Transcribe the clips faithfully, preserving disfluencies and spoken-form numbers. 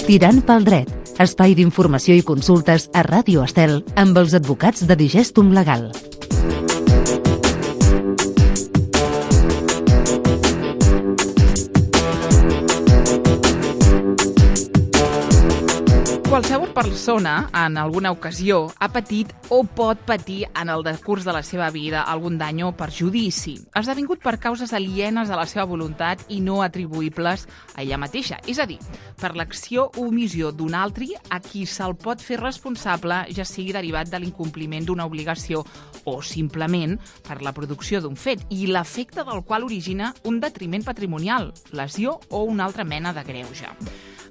Tirant pel dret, espai d'informació i consultes a Ràdio Estel amb els advocats de Digestum Legal. Qualsevol persona, en alguna ocasió, ha patit o pot patir en el decurs de la seva vida algun dany o perjudici, esdevingut per causes alienes a la seva voluntat i no atribuïbles a ella mateixa. És a dir, per l'acció o omissió d'un altre a qui se'l pot fer responsable, ja sigui derivat de l'incompliment d'una obligació o simplement per la producció d'un fet i l'efecte del qual origina un detriment patrimonial, lesió o una altra mena de greuge.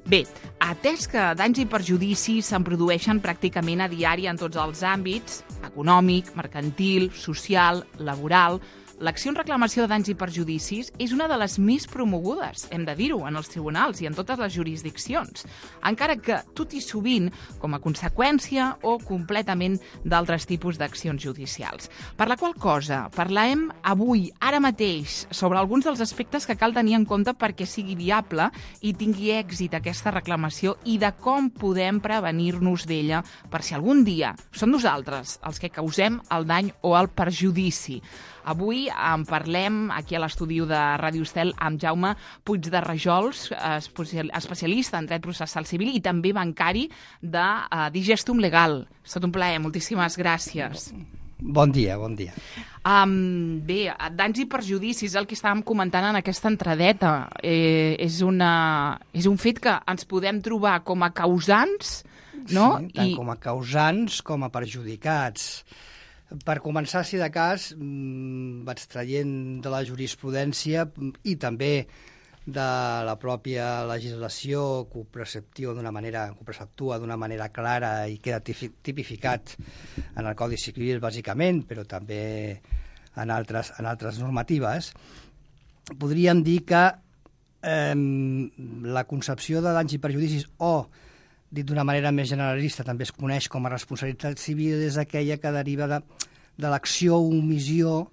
Bé, atès que danys i perjudicis se'n produeixen pràcticament a diari en tots els àmbits, econòmic, mercantil, social, laboral, l'acció en reclamació de danys i perjudicis és una de les més promogudes, hem de dir-ho, en els tribunals i en totes les jurisdiccions, encara que tot i sovint com a conseqüència o completament d'altres tipus d'accions judicials. Per la qual cosa parlarem avui, ara mateix, sobre alguns dels aspectes que cal tenir en compte perquè sigui viable i tingui èxit aquesta reclamació i de com podem prevenir-nos d'ella per si algun dia som nosaltres els que causem el dany o el perjudici. Avui en parlem aquí a l'estudi de Ràdio Estel amb Jaume Puig de Rajols, especialista en dret processal civil i també bancari de Digestum Legal. És tot un plaer, moltíssimes gràcies. Bon dia, bon dia. Um, bé, danys i perjudicis, el que estàvem comentant en aquesta entradeta, eh, és, una, és un fet que ens podem trobar com a causants, no? Sí, tant I... com a causants com a perjudicats. Per començar, si de cas, vaig traient de la jurisprudència i també de la pròpia legislació que ho preceptua d'una manera, que ho preceptua d'una manera clara i queda tipificat en el Codi Civil, bàsicament, però també en altres, en altres normatives, podríem dir que eh, la concepció de danys i perjudicis o, dit d'una manera més generalista, també es coneix com a responsabilitat civil, és aquella que deriva de, de l'acció o omissió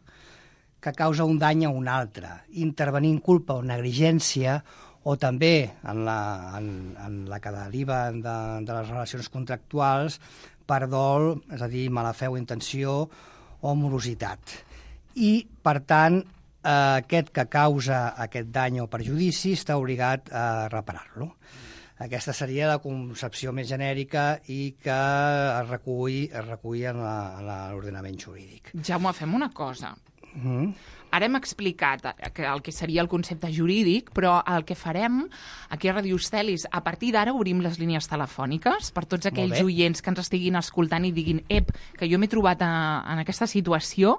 que causa un dany a un altre, intervenint culpa o negligència, o també en la, en, en la que deriva de, de les relacions contractuals per dol, és a dir, mala fe o intenció o morositat. I, per tant, eh, aquest que causa aquest dany o perjudici està obligat a reparar-lo. Aquesta seria la concepció més genèrica i que es recull, es recull en l'ordenament jurídic. Jaume, fem una cosa. Mm. Ara hem explicat el que seria el concepte jurídic, però el que farem aquí a Ràdio Estel és, a partir d'ara, obrim les línies telefòniques per tots aquells oients que ens estiguin escoltant i diguin ep, que jo m'he trobat a, en aquesta situació,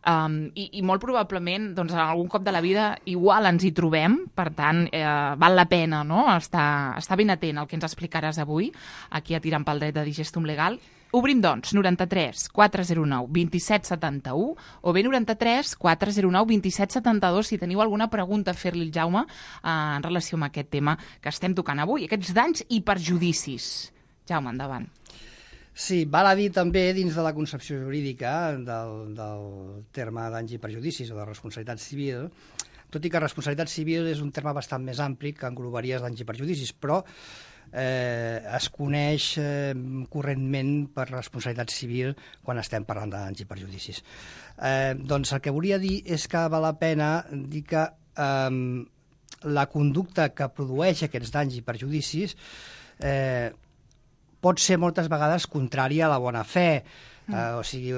um, i, i molt probablement doncs, en algun cop de la vida igual ens hi trobem, per tant, eh, val la pena, no?, estar, estar ben atent al que ens explicaràs avui, aquí a Tirant pel dret de Digestum Legal. Obrim, doncs, noranta-tres quatre zero nou vint set setanta-u o bé noranta-tres quatre zero nou vint set setanta-dos si teniu alguna pregunta a fer-li al Jaume eh, en relació amb aquest tema que estem tocant avui, aquests danys i perjudicis. Jaume, endavant. Sí, val a dir també, dins de la concepció jurídica del, del terme danys i perjudicis o de responsabilitat civil, tot i que responsabilitat civil és un terme bastant més ampli que englobaria danys i perjudicis, però Eh, es coneix eh, correntment per responsabilitat civil quan estem parlant de danys i perjudicis. Eh, doncs el que volia dir és que val la pena dir que eh, la conducta que produeix aquests danys i perjudicis eh, pot ser moltes vegades contrària a la bona fe, eh, o sigui,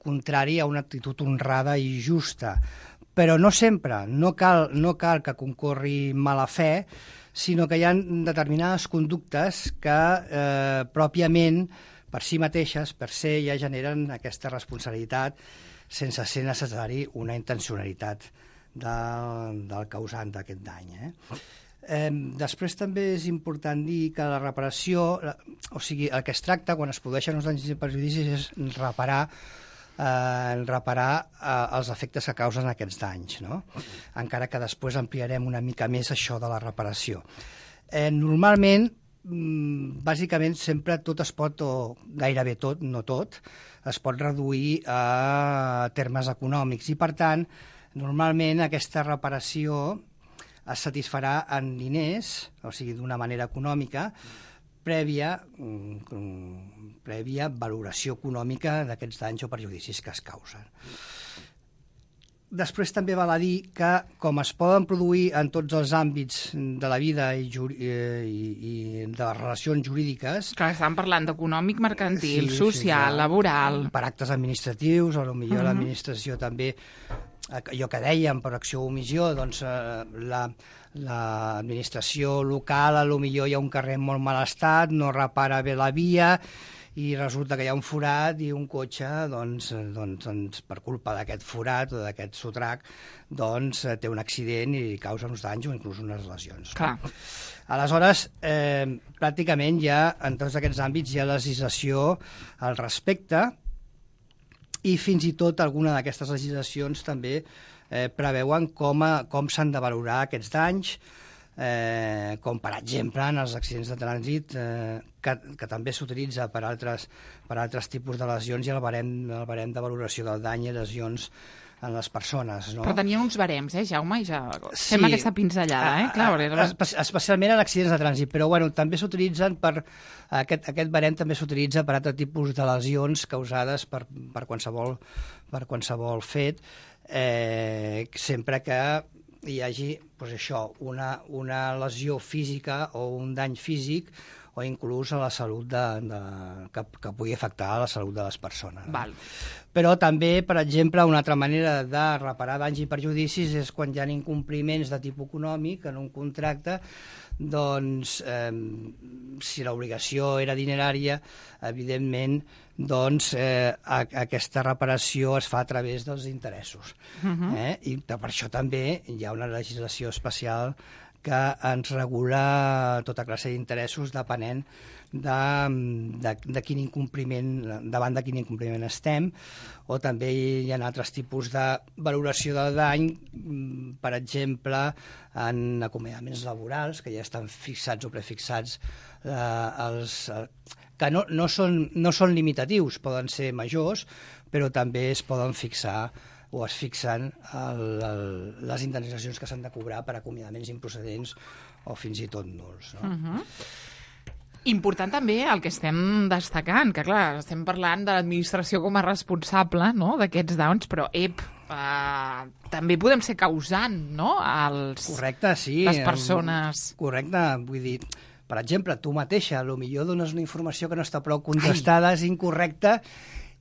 contrària a una actitud honrada i justa. Però no sempre, no cal, no cal que concorri mala fe, sinó que hi ha determinades conductes que eh, pròpiament per si mateixes, per se, ja generen aquesta responsabilitat sense ser necessari una intencionalitat del, del causant d'aquest dany. Eh? Eh, després també és important dir que la reparació, o sigui, el que es tracta quan es produeixen uns danys i perjudicis és reparar Eh, reparar eh, els efectes que causen aquests danys, no? Encara que després ampliarem una mica més això de la reparació. Eh, normalment, mm, bàsicament, sempre tot es pot, o gairebé tot, no tot, es pot reduir a termes econòmics i, per tant, Normalment aquesta reparació es satisfarà en diners, o sigui, d'una manera econòmica, prèvia, prèvia valoració econòmica d'aquests danys o perjudicis que es causen. Després també val a dir que, com es poden produir en tots els àmbits de la vida i, i, i de les relacions jurídiques... Clar, estàvem parlant d'econòmic, mercantil, sí, social, sí, laboral... Per actes administratius, o potser uh-huh. l'administració també, allò que dèiem, per acció o omissió, doncs la, l'administració local, potser hi ha un carrer en molt mal estat, no repara bé la via, i resulta que hi ha un forat i un cotxe, doncs, doncs, doncs per culpa d'aquest forat o d'aquest sotrac, doncs té un accident i causa uns danys o inclús unes lesions. Clar. Aleshores, eh, pràcticament ja en tots aquests àmbits hi ha legislació al respecte i fins i tot alguna d'aquestes legislacions també eh, preveuen com, a, com s'han de valorar aquests danys, Eh, com per exemple en els accidents de trànsit eh, que, que també s'utilitza per altres, per altres tipus de lesions i el barem, el barem de valoració del dany i lesions en les persones. No? Però tenien uns barems, eh, Jaume? I ja sí, fem aquesta pinzellada, eh? Clar, a, a, especialment en accidents de trànsit, però bueno, també s'utilitzen per... Aquest, aquest barem també s'utilitza per altres tipus de lesions causades per, per, qualsevol, per qualsevol fet, eh, sempre que hi hagi doncs això, una, una lesió física o un dany físic o inclús a la salut de, de, que, que pugui afectar a la salut de les persones. Val. Però també, per exemple, una altra manera de reparar danys i perjudicis és quan hi ha incompliments de tipus econòmic en un contracte, doncs, eh, si l'obligació era dinerària, evidentment, doncs eh, a, aquesta reparació es fa a través dels interessos. Uh-huh. eh? I per això també hi ha una legislació especial que ens regula tota classe d'interessos depenent de, de, de quin incompliment, davant de quin incompliment estem, o també hi ha altres tipus de valoració del dany, per exemple, en acomiadaments laborals, que ja estan fixats o prefixats eh, els... que no, no, són, no són limitatius, poden ser majors, però també es poden fixar o es fixen el, el, les indemnitzacions que s'han de cobrar per acomiadaments improcedents o fins i tot nuls. No? Uh-huh. Important també el que estem destacant, que clar, estem parlant de l'administració com a responsable, no?, d'aquests danys, però ep, uh, també podem ser causant, no?, els, correcte, sí, les persones. Correcte, vull dir, per exemple, tu mateixa, potser dones una informació que no està prou contrastada, Ai. és incorrecta,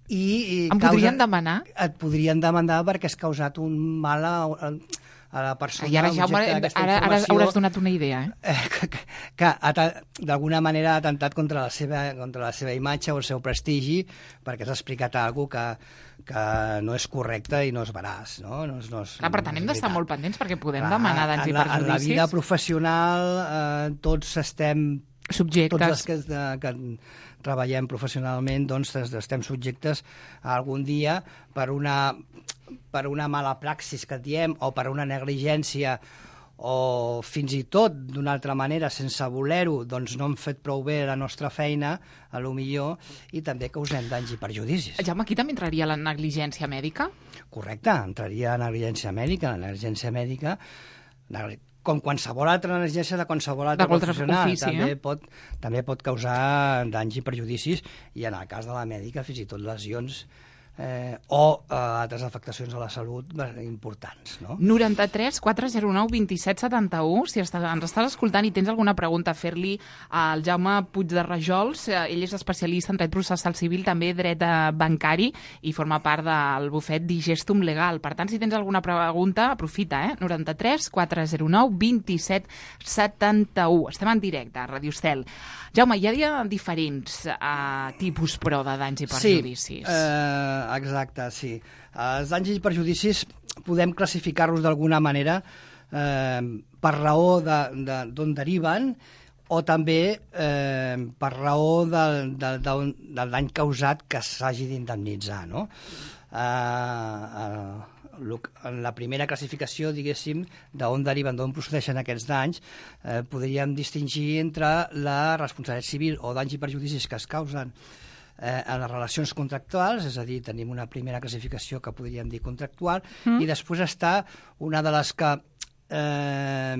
i... i em causa, podrien demanar? Et podrien demanar perquè has causat un mal a, a la persona. I ara, Jaume, ara, ara hauràs donat una idea, eh? eh que que, que d'alguna manera ha atentat contra la, seva, contra la seva imatge o el seu prestigi perquè has explicat alguna cosa que, que no és correcte i no és veraç, no? no, és, no és, Clar, per tant, no hem d'estar molt pendents perquè podem Clar, demanar danys i perjudicis. En la vida professional eh, tots estem... Subjectes. Tots els que, que treballem professionalment doncs estem subjectes a algun dia per una, per una mala praxis que diem o per una negligència o fins i tot d'una altra manera sense voler-ho doncs no hem fet prou bé la nostra feina a lo millor i també causem danys i perjudicis. Jaume, aquí també entraria la negligència mèdica? Correcte, entraria la negligència mèdica. La negligència mèdica, com qualsevol altra negligència de qualsevol altre professional, ofici, també, eh? pot, també pot causar danys i perjudicis i en el cas de la mèdica fins i tot lesions eh, o eh, altres afectacions a la salut importants. No? noranta-tres quatre zero nou vint set setanta-u, si estàs, ens estàs escoltant i tens alguna pregunta a fer-li al Jaume Puig de Rajols, eh, ell és especialista en dret processal civil, també dret eh, bancari i forma part del bufet Digestum Legal. Per tant, si tens alguna pregunta, aprofita, eh? noranta-tres quatre zero nou vint set setanta-u. Estem en directe a Radio Estel. Jaume, hi ha diferents eh, tipus, però, de danys i perjudicis. Sí, eh, exacte, sí. Els danys i perjudicis podem classificar-los d'alguna manera eh, per raó d'on de, deriven o també eh, per raó de, de, de, del dany causat que s'hagi d'indemnitzar, no? Eh, eh, en la primera classificació, diguéssim, d'on deriven, d'on procedeixen aquests danys, eh, podríem distingir entre la responsabilitat civil o danys i perjudicis que es causen eh, en les relacions contractuals, és a dir, tenim una primera classificació que podríem dir contractual, mm. i després està una de les que Eh,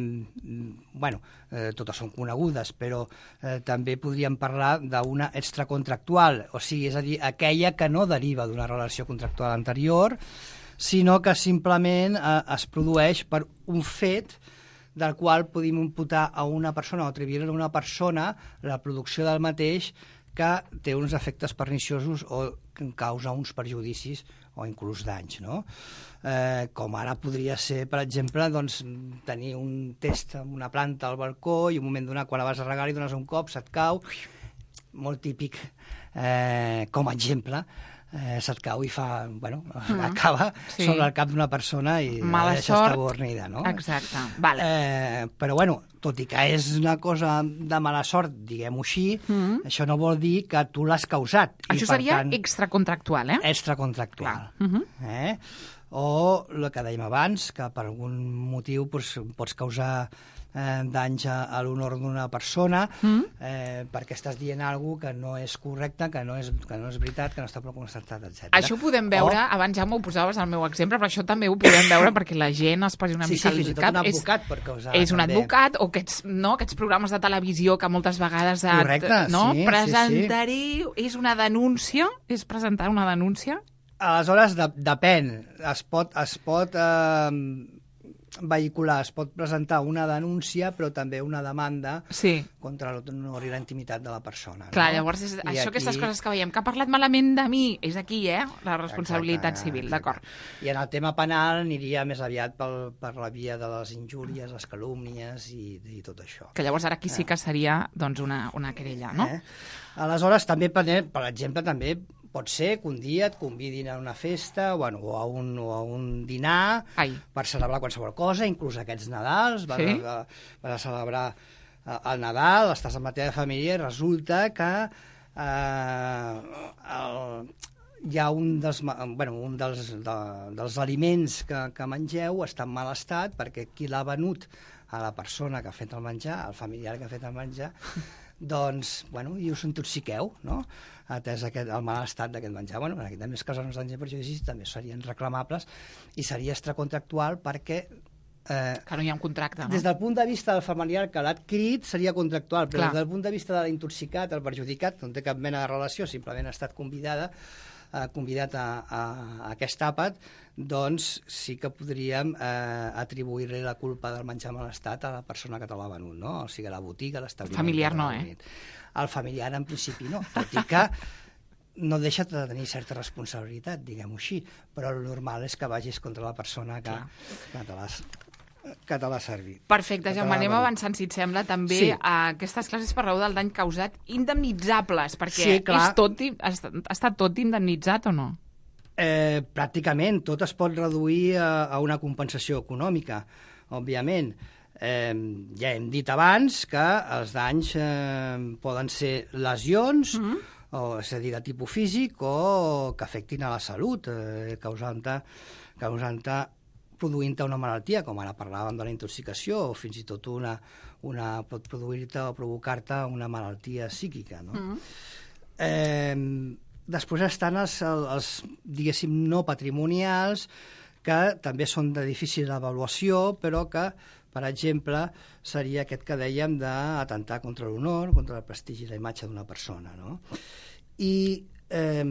bueno, eh, totes són conegudes, però eh, també podríem parlar d'una extracontractual, o sigui, és a dir, aquella que no deriva d'una relació contractual anterior, sinó que simplement eh, es produeix per un fet del qual podem imputar a una persona o atribuir a una persona la producció del mateix que té uns efectes perniciosos o que causa uns perjudicis o inclús danys, no? Eh, com ara podria ser, per exemple, doncs, tenir un test en una planta al balcó i un moment donat, quan la vas a regar i dones un cop, se't cau, molt típic, eh, com a exemple, eh, se't cau i fa, bueno, mm. acaba sí. sobre el cap d'una persona i mala deixa estar bornida, no? Exacte, vale. Eh, però, bueno, tot i que és una cosa de mala sort, diguem-ho així, mm. això no vol dir que tu l'has causat. Això i, per seria tant, extracontractual, eh? Extracontractual. Mm -hmm. eh? O el que dèiem abans, que per algun motiu doncs, pots causar eh, danys a, a l'honor d'una persona mm. eh, perquè estàs dient alguna que no és correcte, que no és, que no és veritat, que no està prou constatat, etcètera. Això ho podem veure, o... abans ja m'ho posaves al meu exemple, però això també ho podem veure perquè la gent es posi una sí, mica sí, al cap. Sí, cap. un advocat és, per causar. És un també. advocat, o aquests, no, aquests programes de televisió que moltes vegades et, Correcte, no, sí, presentaré, sí, sí. és una denúncia? És presentar una denúncia? Aleshores, de, depèn. Es pot, es pot eh, vehicular, es pot presentar una denúncia, però també una demanda sí. contra l'honor i la intimitat de la persona. Clar, no? llavors, és, això, aquí... aquestes coses que veiem, que ha parlat malament de mi, és aquí, eh? La responsabilitat exacte, civil, d'acord. I en el tema penal aniria més aviat pel, per la via de les injúries, les calúmnies i, i tot això. Que llavors ara aquí sí que seria doncs, una, una querella, no? Eh? Aleshores, també, per exemple, també pot ser que un dia et convidin a una festa bueno, o, a un, o a un dinar Ai. per celebrar qualsevol cosa, inclús aquests Nadals, vas, sí? a, vas a celebrar el Nadal, estàs amb la teva família i resulta que eh, el, hi ha un dels, bueno, un dels, de, dels aliments que, que mengeu està en mal estat perquè qui l'ha venut a la persona que ha fet el menjar, al familiar que ha fet el menjar, doncs, bueno, i us intoxiqueu, no?, atès aquest, el mal estat d'aquest menjar. Bueno, en aquest més casos, els danys i perjudicis també serien reclamables i seria extracontractual perquè... Eh, que no hi ha un contracte, no? Des del punt de vista del familiar que l'ha adquirit seria contractual, però Clar. des del punt de vista de l'intoxicat, el perjudicat, que no té cap mena de relació, simplement ha estat convidada, eh, convidat a, a, a aquest àpat, doncs sí que podríem eh, atribuir-li la culpa del menjar mal estat a la persona que te l'ha venut, no? O sigui, a la botiga, a l'establiment. Familiar no, eh? El familiar, en principi, no. Tot i que no deixa de tenir certa responsabilitat, diguem-ho així, però el normal és que vagis contra la persona que, que te l'has que te l'ha servit. Perfecte, Jaume, anem avançant, si et sembla, també sí. a aquestes classes per raó del dany causat indemnitzables, perquè sí, és tot, ha estat tot indemnitzat o no? Eh, pràcticament, tot es pot reduir a, a una compensació econòmica, òbviament. Eh, ja hem dit abans que els danys eh, poden ser lesions, mm-hmm. o, és a dir, de tipus físic o que afectin a la salut, eh, causant-te causant produint-te una malaltia, com ara parlàvem de la intoxicació, o fins i tot una, una pot produir-te o provocar-te una malaltia psíquica, no? Mm-hmm. Eh, després estan els, els, diguéssim, no patrimonials, que també són de difícil avaluació, però que, per exemple, seria aquest que dèiem d'atentar contra l'honor, contra el prestigi i la imatge d'una persona, no? I eh,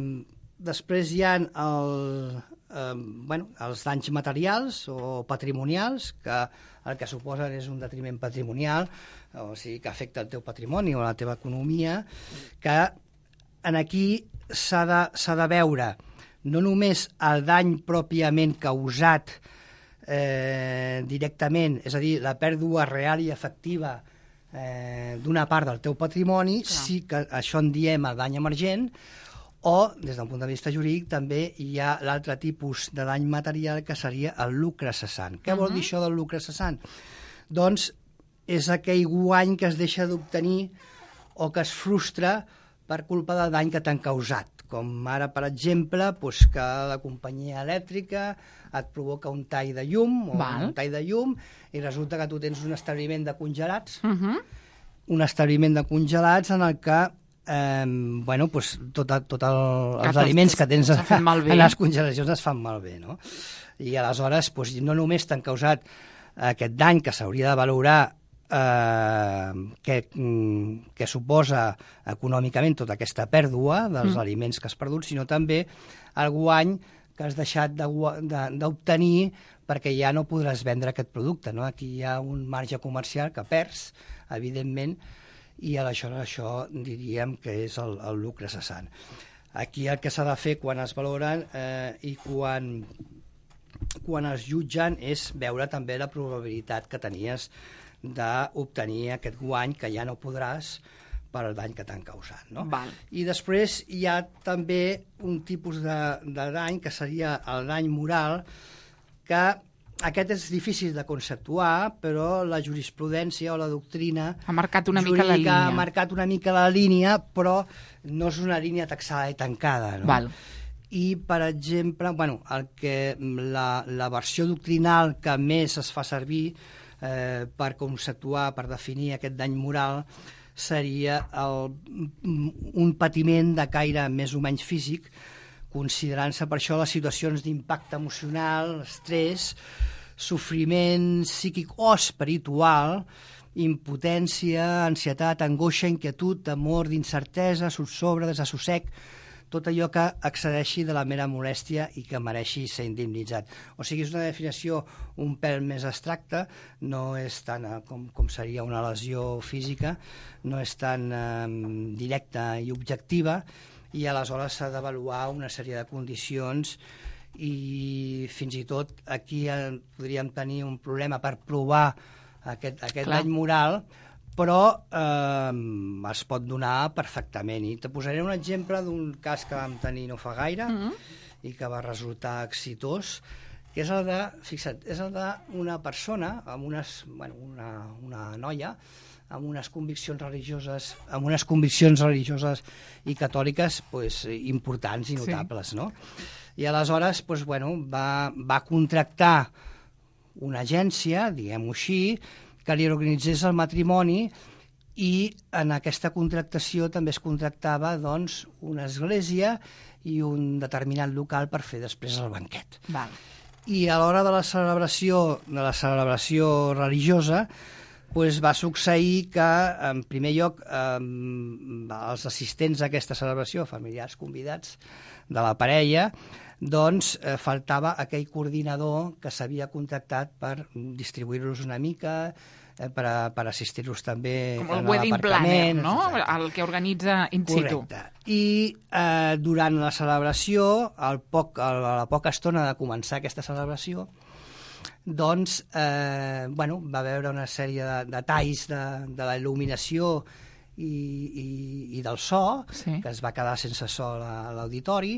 després hi ha el, eh, bueno, els danys materials o patrimonials, que el que suposen és un detriment patrimonial, o sigui, que afecta el teu patrimoni o la teva economia, que en aquí s'ha de, s'ha de veure no només el dany pròpiament causat eh, directament, és a dir, la pèrdua real i efectiva eh, d'una part del teu patrimoni, clar. Sí que això en diem el dany emergent, o, des d'un punt de vista jurídic, també hi ha l'altre tipus de dany material que seria el lucre cessant. Què uh-huh. vol dir això del lucre cessant? Doncs és aquell guany que es deixa d'obtenir o que es frustra per culpa del dany que t'han causat, com ara, per exemple, doncs que la companyia elèctrica et provoca un tall de llum o Val. un tall de llum i resulta que tu tens un establiment de congelats, uh-huh. un establiment de congelats en el que eh, bueno, pues tot, tot el, els tots, aliments que tens a, en les congelacions es fan malbé, no? I aleshores pues, no només t'han causat aquest dany que s'hauria de valorar eh, que, que suposa econòmicament tota aquesta pèrdua dels mm. aliments que has perdut, sinó també el guany que has deixat d'obtenir perquè ja no podràs vendre aquest producte, no? Aquí hi ha un marge comercial que perds, evidentment, i aleshores això diríem que és el, el lucre cessant. Aquí el que s'ha de fer quan es valoren eh, i quan, quan es jutgen és veure també la probabilitat que tenies d'obtenir aquest guany que ja no podràs per al dany que t'han causat. No? Val. I després hi ha també un tipus de, de dany que seria el dany moral, que aquest és difícil de conceptuar, però la jurisprudència o la doctrina ha marcat una mica la línia. Ha marcat una mica la línia, però no és una línia taxada i tancada. No? Val. I, per exemple, bueno, el que la, la versió doctrinal que més es fa servir eh, per conceptuar, per definir aquest dany moral, seria el, un patiment de caire més o menys físic, considerant-se per això les situacions d'impacte emocional, estrès, sofriment psíquic o espiritual, impotència, ansietat, angoixa, inquietud, temor, d'incertesa, subsobre, desassossec, tot allò que excedeixi de la mera molèstia i que mereixi ser indemnitzat. O sigui, és una definició un pèl més abstracta, no és tant com, com seria una lesió física, no és tan eh, directa i objectiva, i aleshores s'ha d'avaluar una sèrie de condicions i fins i tot aquí podríem tenir un problema per provar aquest, aquest dany moral, però eh, es pot donar perfectament. I te posaré un exemple d'un cas que vam tenir no fa gaire mm-hmm. i que va resultar exitós, que és el de, fixa't, és el d'una persona, amb unes, bueno, una, una noia, amb unes conviccions religioses, amb unes conviccions religioses i catòliques pues, importants i notables, sí. No? I aleshores pues, bueno, va, va contractar una agència, diguem-ho així, que li organitzés el matrimoni, i en aquesta contractació també es contractava doncs, una església i un determinat local per fer després el banquet. Val. I a l'hora de la celebració, de la celebració religiosa pues, va succeir que, en primer lloc, eh, els assistents a aquesta celebració, familiars convidats de la parella, doncs eh, faltava aquell coordinador que s'havia contractat per distribuir-los una mica, eh, per, a, per assistir-los també com el wedding planner, no? Exacte. El que organitza in situ. Correcte. I eh, durant la celebració, al poc, a la poca estona de començar aquesta celebració, doncs, eh, bueno, va haver una sèrie de detalls de, de la il·luminació i, i, i del so, sí. Que es va quedar sense so a l'auditori,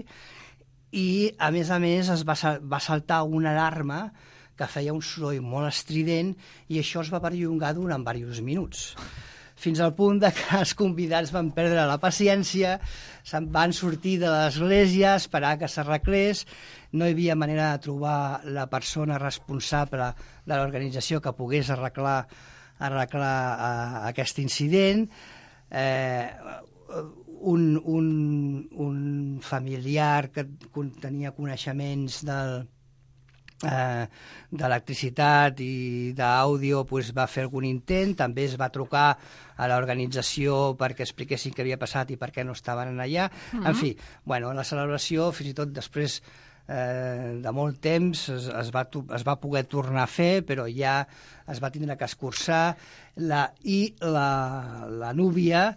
i, a més a més, es va, va saltar una alarma que feia un soroll molt estrident i això es va perllongar durant diversos minuts. Fins al punt de que els convidats van perdre la paciència, se'n van sortir de l'església, esperar que s'arreglés, no hi havia manera de trobar la persona responsable de l'organització que pogués arreglar, arreglar uh, aquest incident. Eh, Un, un, un familiar que tenia coneixements del, eh, d'electricitat i d'àudio pues, va fer algun intent, també es va trucar a l'organització perquè expliquessin què havia passat i per què no estaven allà. Mm-hmm. En fi, bueno, la celebració, fins i tot després eh, de molt temps, es, es, va, es va poder tornar a fer, però ja es va tindre que escurçar la, i la, la núvia,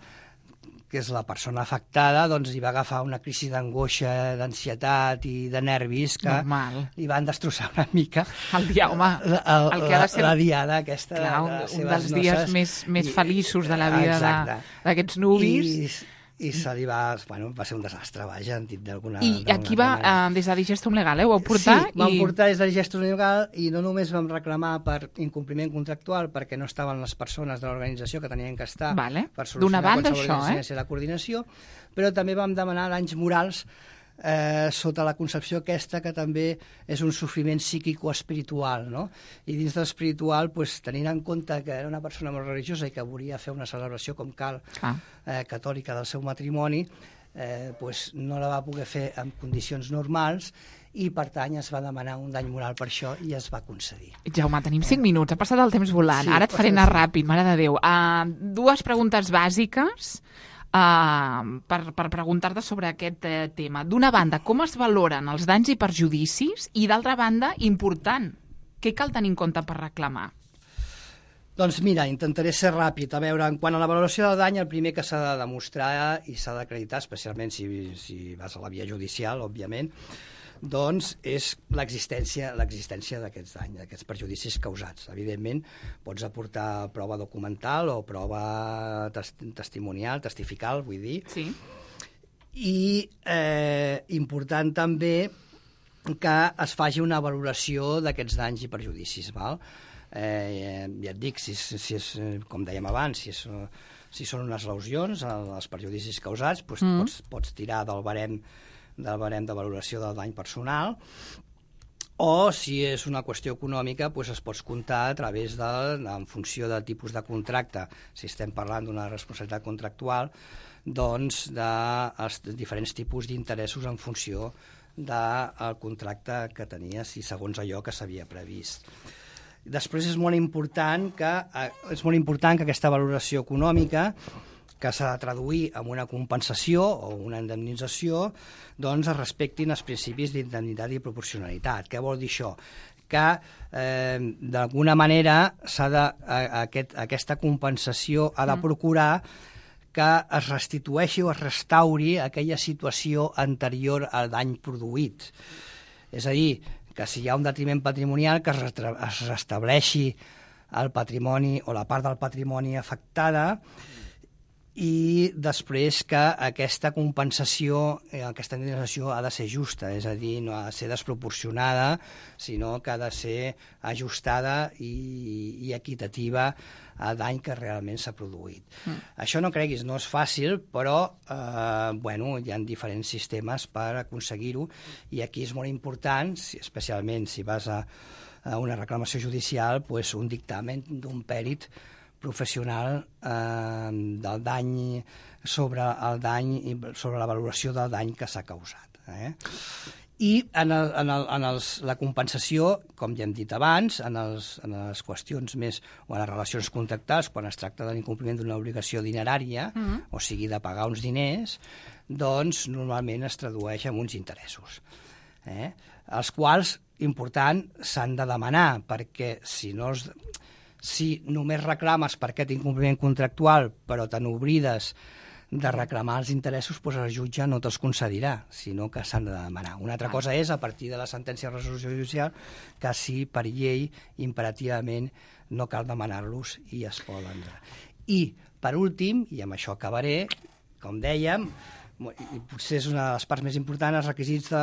que és la persona afectada, doncs hi va agafar una crisi d'angoixa, d'ansietat i de nervis que Normal. Li van destrossar una mica. El dia, home, la, el, el que ha de ser... la diada aquesta. Clar, de, de un, un dels dies noces, més, més i, feliços de la vida d'aquests nuvis. I, i se li va... Bueno, va ser un desastre, vaja, en dit d'alguna I aquí va, uh, des de Digestum Legal, eh? Ho vau portar? Sí, vam i... portar des de Digestum Legal i no només vam reclamar per incompliment contractual perquè no estaven les persones de l'organització que tenien que estar vale. Per solucionar banda, qualsevol això, eh? la coordinació, però també vam demanar danys morals eh, sota la concepció aquesta que també és un sofriment psíquico-espiritual, no? I dins de l'espiritual, pues, tenint en compte que era una persona molt religiosa i que volia fer una celebració com cal eh, catòlica del seu matrimoni, eh, pues, no la va poder fer en condicions normals i, per tant, es va demanar un dany moral per això i es va concedir. Jaume, tenim cinc minuts, ha passat el temps volant. Sí, ara et faré anar ràpid, mare de Déu. Uh, dues preguntes bàsiques uh, per, per preguntar-te sobre aquest uh, tema. D'una banda, com es valoren els danys i perjudicis? I, d'altra banda, important, què cal tenir en compte per reclamar? Doncs mira, intentaré ser ràpid. A veure, en quant a la valoració del dany, el primer que s'ha de demostrar i s'ha d'acreditar, especialment si, si vas a la via judicial, òbviament, doncs és l'existència l'existència d'aquests danys, d'aquests perjudicis causats. Evidentment, pots aportar prova documental o prova tes testimonial, testifical, vull dir. Sí. I eh, important també que es faci una valoració d'aquests danys i perjudicis, val? Eh, ja et dic, si, si és, com dèiem abans, si, és, si són unes lesions, els perjudicis causats, doncs mm. pots, pots tirar del barem del barem de valoració del dany personal, o si és una qüestió econòmica, doncs es pot comptar a través de, en funció del tipus de contracte, si estem parlant d'una responsabilitat contractual, doncs dels diferents tipus d'interessos en funció del contracte que tenies i segons allò que s'havia previst. Després és molt important que, és molt important que aquesta valoració econòmica, que s'ha de traduir en una compensació o una indemnització, doncs es respectin els principis d'indemnitat i proporcionalitat. Què vol dir això? Que eh, d'alguna manera s'ha de, a, aquest, aquesta compensació ha de procurar que es restitueixi o es restauri aquella situació anterior al dany produït. És a dir, que si hi ha un detriment patrimonial, que es, es restableixi el patrimoni o la part del patrimoni afectada, i després que aquesta compensació, aquesta indemnització ha de ser justa, és a dir, no ha de ser desproporcionada, sinó que ha de ser ajustada i, i equitativa al dany que realment s'ha produït. Mm. Això no creguis, no és fàcil, però eh, bueno, hi ha diferents sistemes per aconseguir-ho, i aquí és molt important, especialment si vas a, a una reclamació judicial, pues, un dictamen d'un pèrit professional eh, del dany sobre el dany i sobre la valoració del dany que s'ha causat. Eh? I en, el, en, el, en els, la compensació, com ja hem dit abans, en, els, en les qüestions més, o en les relacions contractals, quan es tracta de l'incompliment d'una obligació dinerària, mm-hmm. o sigui, de pagar uns diners, doncs normalment es tradueix en uns interessos. Eh? Els quals, important, s'han de demanar, perquè si no es... Si només reclames per aquest incompliment contractual, però te n'oblides de reclamar els interessos, doncs el jutge no te'ls concedirà, sinó que s'han de demanar. Una altra cosa és, a partir de la sentència de resolució judicial, que si per llei, imperativament, no cal demanar-los i es poden. I, per últim, i amb això acabaré, com dèiem, i potser és una de les parts més importants, els requisits de,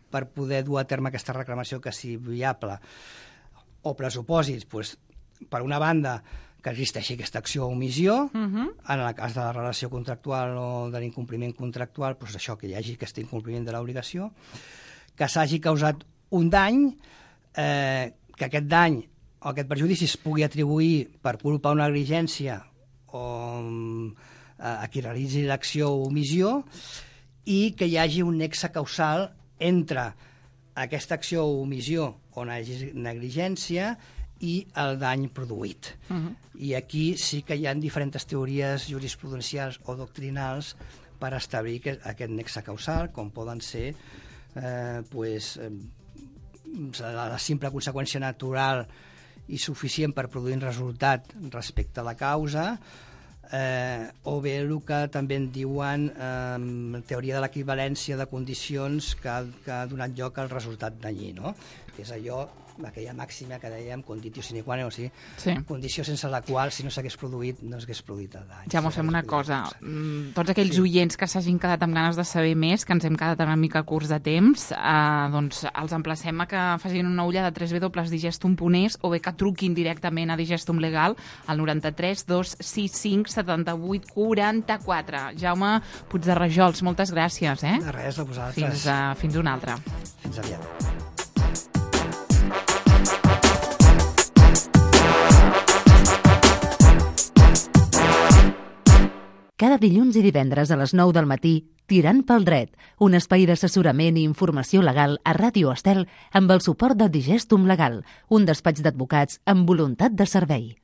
per poder dur a terme aquesta reclamació que sigui viable o pressupòsits, doncs, per una banda, que existeixi aquesta acció o omissió, uh-huh. en el cas de la relació contractual o de l'incompliment contractual, doncs això, que hi hagi aquest incompliment de l'obligació, que s'hagi causat un dany, eh, que aquest dany o aquest perjudici es pugui atribuir per culpa o negligència o eh, a qui realitzi l'acció o omissió, i que hi hagi un nexe causal entre aquesta acció o omissió o negligència i el dany produït. Uh-huh. I aquí sí que hi ha diferents teories jurisprudencials o doctrinals per establir que aquest nexe causal, com poden ser eh, pues, eh, la simple conseqüència natural i suficient per produir un resultat respecte a la causa, eh, o bé el que també en diuen eh, teoria de l'equivalència de condicions que ha, que ha donat lloc al resultat danyí, no? Que és allò aquella màxima que dèiem, conditio sine qua non, o sigui, Sí. condició sense la qual, si no s'hagués produït, no s'hagués produït el dany. Ja m'ho fem una cosa. Mm, Tots aquells Sí. oients que s'hagin quedat amb ganes de saber més, que ens hem quedat una mica curts de temps, eh, doncs els emplacem a que facin una ullada a w w w punt digestum punt es o bé que truquin directament a Digestum Legal al noranta-tres dos sis cinc setanta-vuit quaranta-quatre. Jaume Puigderrajols, moltes gràcies. Eh? De res, a vosaltres. Fins, a, fins una altra. Fins aviat. Cada dilluns i divendres a les nou del matí, Tirant pel dret, un espai d'assessorament i informació legal a Ràdio Estel amb el suport de Digestum Legal, un despatx d'advocats amb voluntat de servei.